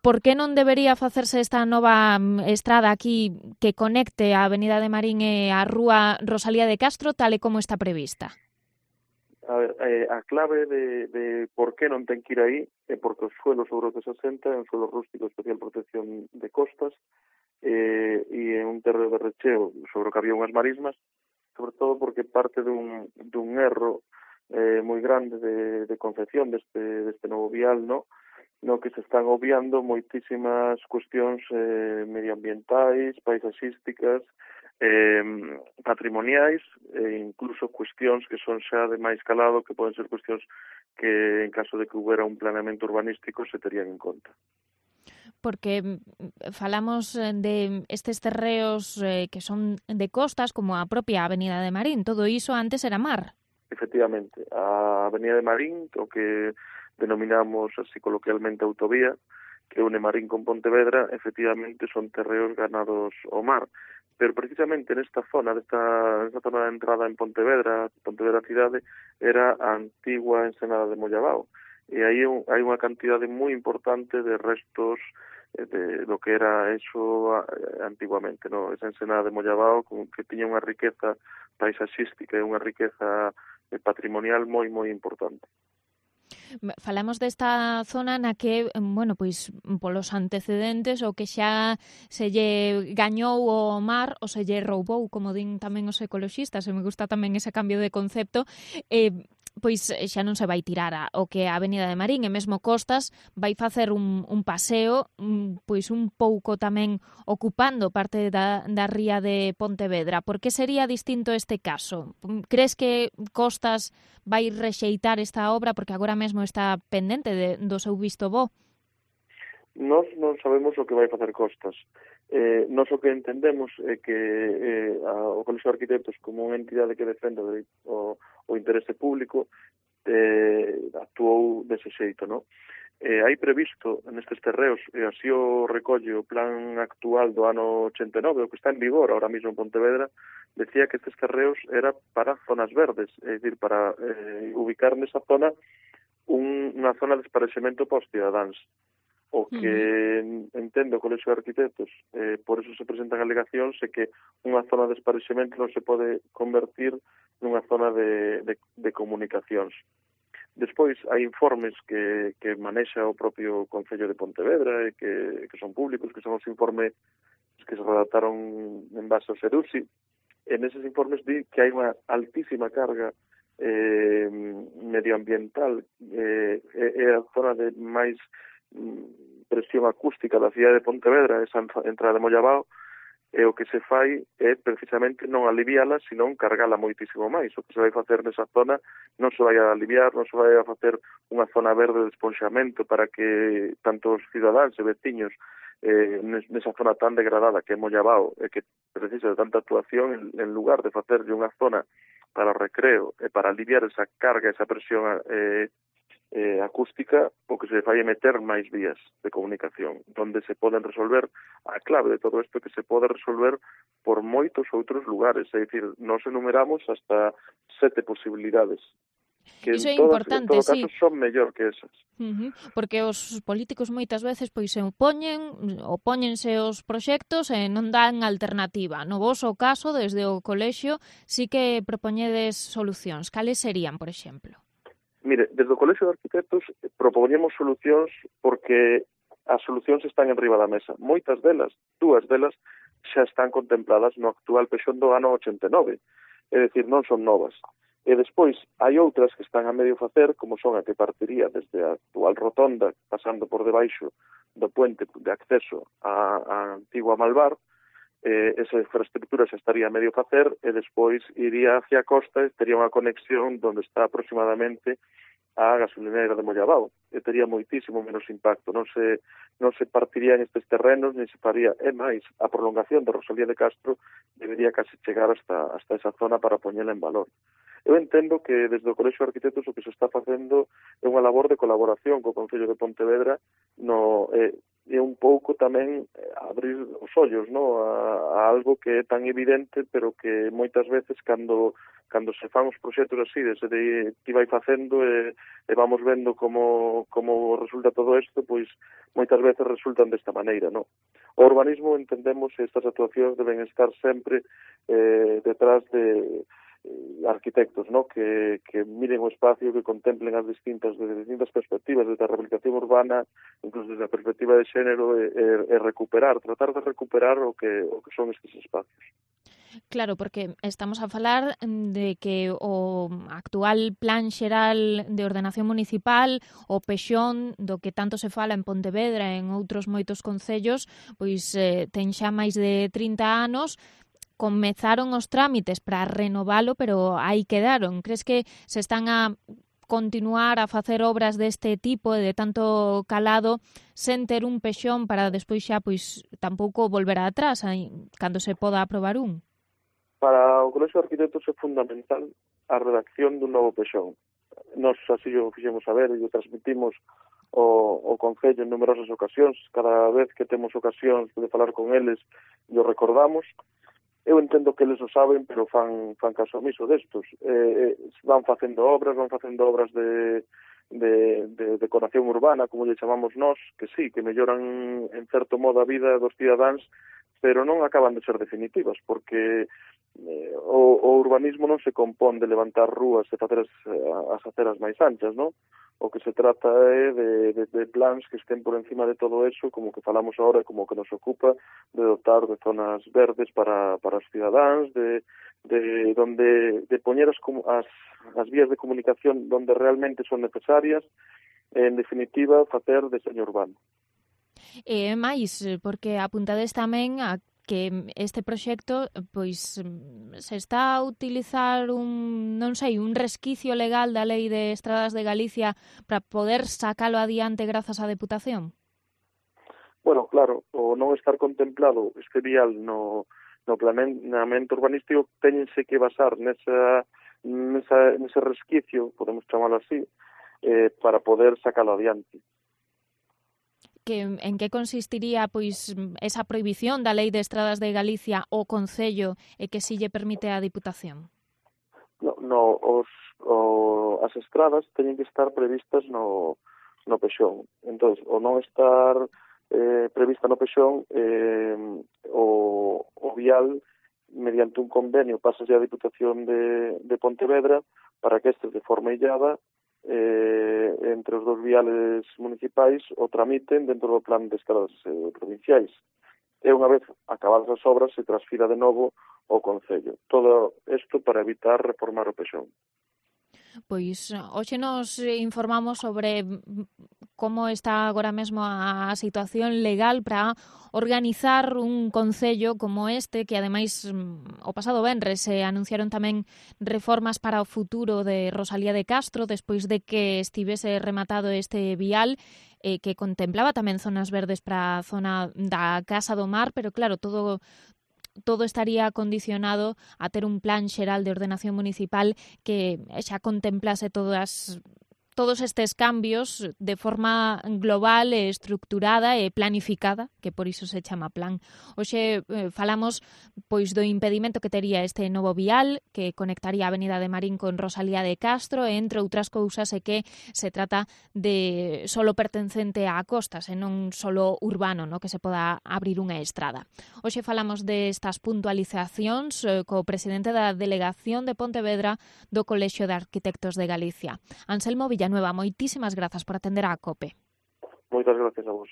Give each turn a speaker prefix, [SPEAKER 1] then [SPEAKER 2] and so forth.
[SPEAKER 1] por que non debería facerse esta nova estrada aquí que conecte a Avenida de Marín e a Rúa Rosalía de Castro tal e como está prevista?
[SPEAKER 2] A ver, a clave de por que non ten que ir aí é porque os suelos sobre os que se asenta é un suelo rústico de especial protección de costas e é un terreo de recheo sobre o que había unhas marismas, sobre todo porque parte dun erro moi grande de concepción deste novo vial, no que se están obviando moitísimas cuestións medioambientais, paisaxísticas, patrimoniais e incluso cuestións que son xa de máis calado, que poden ser cuestións que en caso de que houbera un planeamento urbanístico se terían en conta.
[SPEAKER 1] Porque falamos de estes terreos que son de costas, como a propia Avenida de Marín, todo iso antes era mar.
[SPEAKER 2] Efectivamente, a Avenida de Marín, o que denominamos así coloquialmente autovía, que une Marín con Pontevedra, efectivamente son terreos ganados ao mar. Pero precisamente nesta zona, nesta zona de entrada en Pontevedra cidade, era a antigua ensenada de Mollabao. E aí hai unha cantidade moi importante de restos de lo que era eso antiguamente, esa ensenada de Mollabao que tiña unha riqueza paisaxística e unha riqueza patrimonial moi importante.
[SPEAKER 1] Falamos desta zona na que, bueno, pois polos antecedentes o que xa se lle gañou o mar ou se lle roubou, como din tamén os ecoloxistas, e me gusta tamén ese cambio de concepto, pois xa non se vai tirar o que a Avenida de Marín e mesmo Costas vai facer un paseo pois un pouco tamén ocupando parte da ría de Pontevedra. Por que sería distinto este caso? Crees que Costas vai rexeitar esta obra porque agora mesmo está pendente do seu visto bo?
[SPEAKER 2] Nós non sabemos o que vai facer Costas. Nós o que entendemos é que o Colexio de Arquitectos, como unha entidade que defende o interese público, actuou dese xeito, hai previsto nestes terreos, e así o recolle o plan actual do ano 89, o que está en vigor ahora mesmo en Pontevedra, decía que estes terreos era para zonas verdes, é dicir, para ubicar nesa zona unha zona de esparexemento para os cidadáns. O que entendo o Colexio de Arquitectos, por eso se presentan alegacións, é que unha zona de esparexemento non se pode convertir nunha zona de comunicacións. Despois, hai informes que manexa o propio Concello de Pontevedra e que son públicos, que son os informes que se redactaron en base ao Serusi. En eses informes di que hai unha altísima carga medioambiental, é a zona de máis presión acústica da cidade de Pontevedra, esa entrada de Mollabao, e o que se fai é precisamente non aliviala, senón cargala moitísimo máis. O que se vai facer nesa zona non se vai a aliviar, non se vai a facer unha zona verde de esponxamento para que tanto os cidadáns e veciños nesa zona tan degradada que é Mollabao e que precisa de tanta actuación, en lugar de facerlle unha zona para o recreo e para aliviar esa carga, esa presión acústica, o que se fai é meter máis vías de comunicación, donde se poden resolver a clave de todo isto, que se pode resolver por moitos outros lugares, é dicir, nós enumeramos hasta 7 posibilidades, que
[SPEAKER 1] Iso é
[SPEAKER 2] en
[SPEAKER 1] importante,
[SPEAKER 2] todo caso son mellor que esas.
[SPEAKER 1] Porque os políticos moitas veces pois se opóñense aos proxectos e non dan alternativa. No voso caso, desde o colexio, sí que propoñedes solucións. Cales serían, por exemplo?
[SPEAKER 2] Mire, desde o Colexio de Arquitectos propoñemos solucións porque as solucións están enriba da mesa. Moitas delas, dúas delas, xa están contempladas no actual pexón do ano 89. É dicir, non son novas. E despois hai outras que están a medio facer, como son a que partiría desde a actual rotonda, pasando por debaixo do puente de acceso á antigua Malvar. Esa infraestructura xa estaría a medio facer e despois iría hacia a costa e tería unha conexión donde está aproximadamente a gasolinera de Mollabao e tería moitísimo menos impacto, non se partirían estes terrenos ni se faría, é máis, a prolongación de Rosalía de Castro debería casi chegar hasta esa zona para poñela en valor. Eu entendo que desde o Colexio de Arquitectos o que se está facendo é unha labor de colaboración co Concello de Pontevedra e un pouco tamén abrir os ollos, no, a algo que é tan evidente, pero que moitas veces cando se fan os proxectos así, desde que vai facendo e vamos vendo como resulta todo isto, pois moitas veces resultan desta maneira, no. O urbanismo entendemos que estas actuacións deben estar sempre detrás de arquitectos, ¿no? que miren o espacio, que contemplen as distintas perspectivas desde a rehabilitación urbana, incluso desde a perspectiva de xénero, e tratar de recuperar o que son estes espacios.
[SPEAKER 1] Claro, porque estamos a falar de que o actual Plan Xeral de Ordenación Municipal, o PEXON, do que tanto se fala en Pontevedra e en outros moitos concellos, pois ten xa máis de 30 anos. Comezaron os trámites para renovalo, pero aí quedaron. Crees que se están a continuar a facer obras deste tipo e de tanto calado sen ter un pexón para despois xa pois tampouco volver atrás cando se poda aprobar un?
[SPEAKER 2] Para o Colexio de Arquitectos é fundamental a redacción dun novo pexón. Nos así o fixemos saber e o transmitimos o Concello en numerosas ocasións. Cada vez que temos ocasións de falar con eles e o recordamos. Eu entendo que eles o saben, pero fan caso omiso destos. Van facendo obras de decoración urbana, como lle chamamos nós, que sí, que melloran en certo modo a vida dos cidadáns, pero non acaban de ser definitivas, porque o urbanismo non se compón de levantar rúas e facer as aceras máis anchas, non? O que se trata é de plans que estén por encima de todo eso, como que falamos agora, como que nos ocupa, de dotar de zonas verdes para os cidadáns, de poñer as vías de comunicación donde realmente son necesarias, en definitiva, facer deseño urbano.
[SPEAKER 1] E máis, porque apuntades tamén a que este proxecto pois se está a utilizar un resquicio legal da Lei de Estradas de Galicia para poder sacalo adiante grazas á Deputación?
[SPEAKER 2] Bueno, claro, o non estar contemplado este vial no planeamento urbanístico teñense que basar nese resquicio, podemos chamalo así, para poder sacalo adiante.
[SPEAKER 1] En que consistiría pois esa prohibición da Lei de Estradas de Galicia ao Concello e que si lle permite á Diputación?
[SPEAKER 2] As estradas teñen que estar previstas no pexón. Entón, o non estar prevista no pexón, o vial, mediante un convenio, pasase á Diputación de Pontevedra para que estes, de forma illada, entre os dos viales municipais o tramiten dentro do plan de estradas provinciais. E unha vez acabadas as obras se transfira de novo ao Concello. Todo isto para evitar reformar o pexón.
[SPEAKER 1] Pois hoxe nos informamos sobre como está agora mesmo a situación legal para organizar un concello como este, que ademais o pasado venres se anunciaron tamén reformas para o futuro de Rosalía de Castro despois de que estivese rematado este vial que contemplaba tamén zonas verdes para a zona da Casa do Mar, pero claro, todo estaría condicionado a ter un plan xeral de ordenación municipal que xa contemplase todos estes cambios de forma global e estructurada e planificada, que por iso se chama plan. Hoxe falamos pois do impedimento que tería este novo vial que conectaría a Avenida de Marín con Rosalía de Castro e entre outras cousas é que se trata de solo pertencente á costa, senón solo urbano, no que se poda abrir unha estrada. Hoxe falamos destas puntualizacións co presidente da Delegación de Pontevedra do Colexio de Arquitectos de Galicia. Anselmo Villanueva, moitísimas grazas por atender á COPE.
[SPEAKER 2] Moitas gracias a vos.